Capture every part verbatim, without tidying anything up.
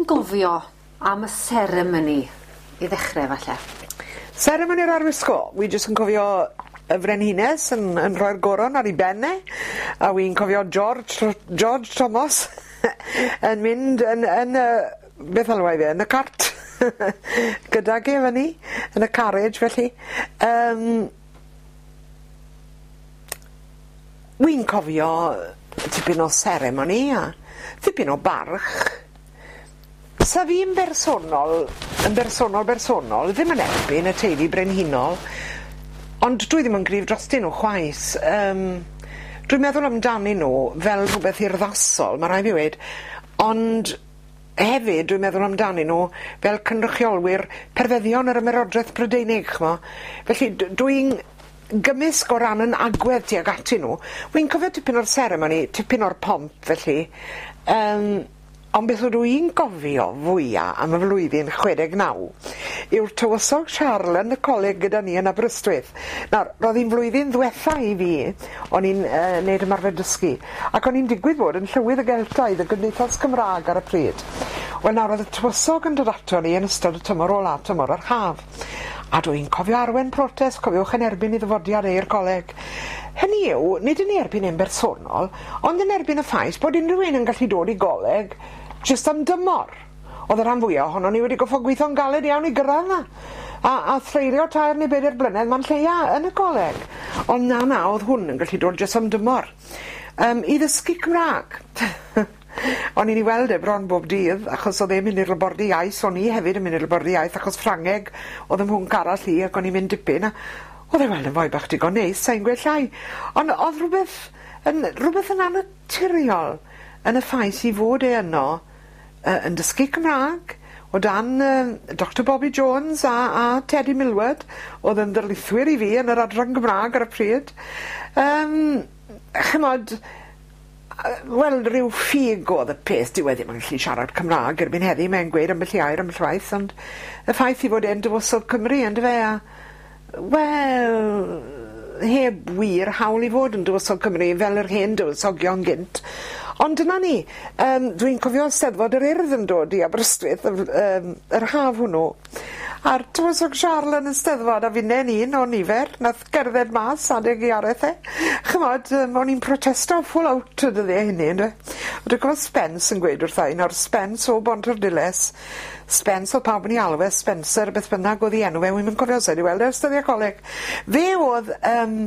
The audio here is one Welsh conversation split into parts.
chi'n gofio am y seremoni i ddechrau falle? Seremoni'r arwisgo, wi jyst yn cofio y frenhines yn, yn rhoi'r goron ar ei ben e, a wi'n cofio George, George Thomas yn mynd yn, yn y, beth alwai fe, yn y cart gydag e fyny, yn y carriage felly. Um, wi'n cofio tipyn o seremoni a tipyn o barch. Sa fi'n bersonol, yn bersonol bersonol, ddim yn erbyn y teulu brenhinol, ond dwi ddim yn gryf drostyn nhw chwaith. Um, dwi'n meddwl amdanyn nhw fel rhywbeth urddasol, mae rhaid fi weud, ond hefyd dwi'n meddwl amdanyn nhw fel cynrychiolwyr perfeddion yr Ymerodraeth Brydeinig, ch'mo'. Felly dwi'n gymysg o ran yn agwedd tuag atyn nhw. Wi'n cofio tipyn o'r seremoni, tipyn o'r pomp felly. Um, Ond beth ydw i'n gofio fwya am y flwyddyn chwe deg naw yw'r tywysog Charles yn y coleg gyda ni yn Aberystwyth. Nawr, roedd hi'n flwyddyn ddwetha i fi, o'n i'n uh, neud ymarfer dysgu, ac o'n i'n digwydd bod yn llywydd y Geltaidd, y Gymdeithas Gymraeg ar y pryd. Wel nawr, oedd y tywysog yn dod ato ni yn ystod y tymor ola, tymor yr haf. A dwi'n cofio arwen protest, cofiwch, yn erbyn i ddyfodiad e i'r coleg. Hynny yw, nid yn erbyn e'n bersonol, ond yn erbyn y ffaith bod unrhyw un yn gallu dod i goleg jyst am dymor. Oedd y rhan fwyaf ohono ni wedi goffo gweithio'n galed iawn i gyrraedd 'na. A, a threulio tair neu bedair blynedd ma'n lleia yn y coleg. Ond na, na, oedd hwn yn gallu dod jyst am dymor. Um, I ddysgu Cymraeg. O'n i'n ei weld e bron bob dydd, achos oedd e'n mynd i'r labordy iaith, o'n i hefyd yn mynd i'r labordy iaith, achos Ffrangeg oedd ym mhwnc arall i, ac o'n i'n mynd dipyn, a oedd e weld yn foi bach digon neis, sa'n gweud llai. Ond oedd rhywbeth yn, rhywbeth yn annaturiol yn y ffaith i fod e yno uh, yn dysgu Cymraeg, o dan uh, Doctor Bobby Jones a, a Teddy Millward, oedd yn ddarlithwyr i fi yn yr adran Gymraeg ar y pryd. Um, chymod, wel, rhyw ffug oedd y peth, dyw e ddim yn gallu siarad Cymraeg erbyn heddi, mae'n gweud ambell i air ambell waith, ond y ffaith i fod e'n dywysog Cymru, yndyfe, a wel, heb wir hawl i fod yn dywysog Cymru fel yr hen dywysogion gynt. Ond dyna ni, um, dwi'n cofio Steddfod yr Urdd yn dod i Aberystwyth um, yr haf hwnnw, a'r tywysog Charles yn y Steddfod, a finne'n un o nifer, nath gerdded mas adeg i araith e. Chymod, um, o'n i'n protesto full out y dyddiau hynny, ynde. Dwi'n cofio Spence yn gweud wrtha i, nawr Spence o Bontarddulais, Spence oedd pawb yn ei alw e, Spencer, beth bynnag oedd ei enw fe, wi'm yn cofio sa'i wedi weld e ers dyddiau coleg. Fe oedd um,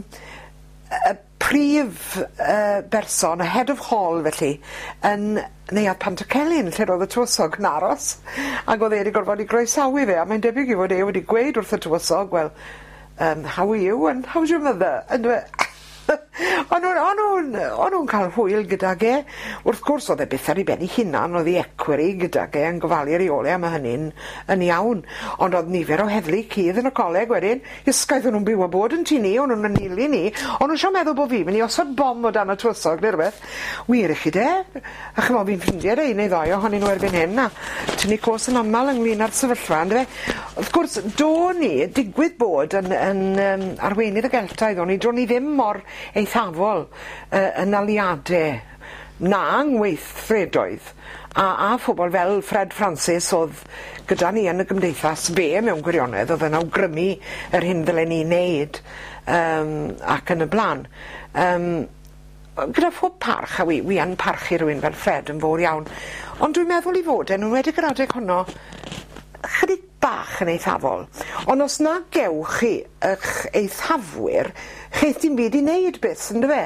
y prif uh, berson, y head of hall felly, yn Neuadd Pantycelyn, lle roedd y tywysog yn aros, ac oedd e wedi gorfod i groesawu fe, a mae'n debyg i fod e wedi gweud wrth y tywysog, well, um, how are you and how's your mother? And o'n nhw'n o'n nhw'n o'n nhw'n cael hwyl gydag e. Wrth gwrs oedd e byth ar ei ben ei hunan, oedd ei equerry gydag e yn gofalu ar ei ôl e, a mae hynny'n yn iawn. Ond oedd nifer o heddlu cudd yn y coleg wedyn, ysgaeth o'n nhw'n byw a bod yn tŷ ni, o'n nhw'n anelu ni, o'n nhw'n sio meddwl bod fi'n mynd i osod bom o dan y tywysog neu rhywbeth. Wir i chi de, a chymod fi'n ffrindiau 'da un neu ddoi ohonyn nhw erbyn hyn, a tynnu cos yn aml ynglyn â'r sefyllfa, yndyfe. Wrth gwrs, do'n i, digwydd bod yn, yn um, arweinydd y Geltaidd, o'n i, do'n i ddim mor eithafol uh, yn aliadau na ngweithredoedd a, a phobl fel Fred Francis oedd gyda ni yn y gymdeithas fe mewn gwirionedd oedd yn awgrymu yr hyn ddylen ni wneud um, ac yn y blaen. Um, gyda phob parch, a wi, wi yn parchu rhywun fel Fred yn fawr iawn, ond dwi'n meddwl i fod e'n enwedig yr adeg honno chydig bach yn eithafol. Ond os na gewch chi eich eithafwyr, cheith dim byd i wneud byth, yndyfe?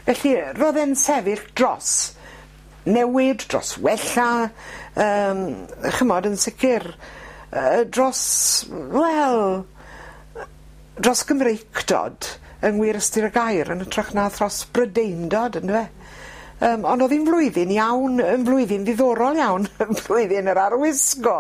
Felly, roedd e'n sefyll dros newid, dros wella, um, chymod, yn sicr, uh, dros, wel, dros Gymreictod, yng ngwir ystyr y gair, yn hytrach na thros Brydeindod, yndyfe? Um, ond oedd hi'n flwyddyn iawn, yn flwyddyn ddiddorol iawn, yn flwyddyn yr arwisgo.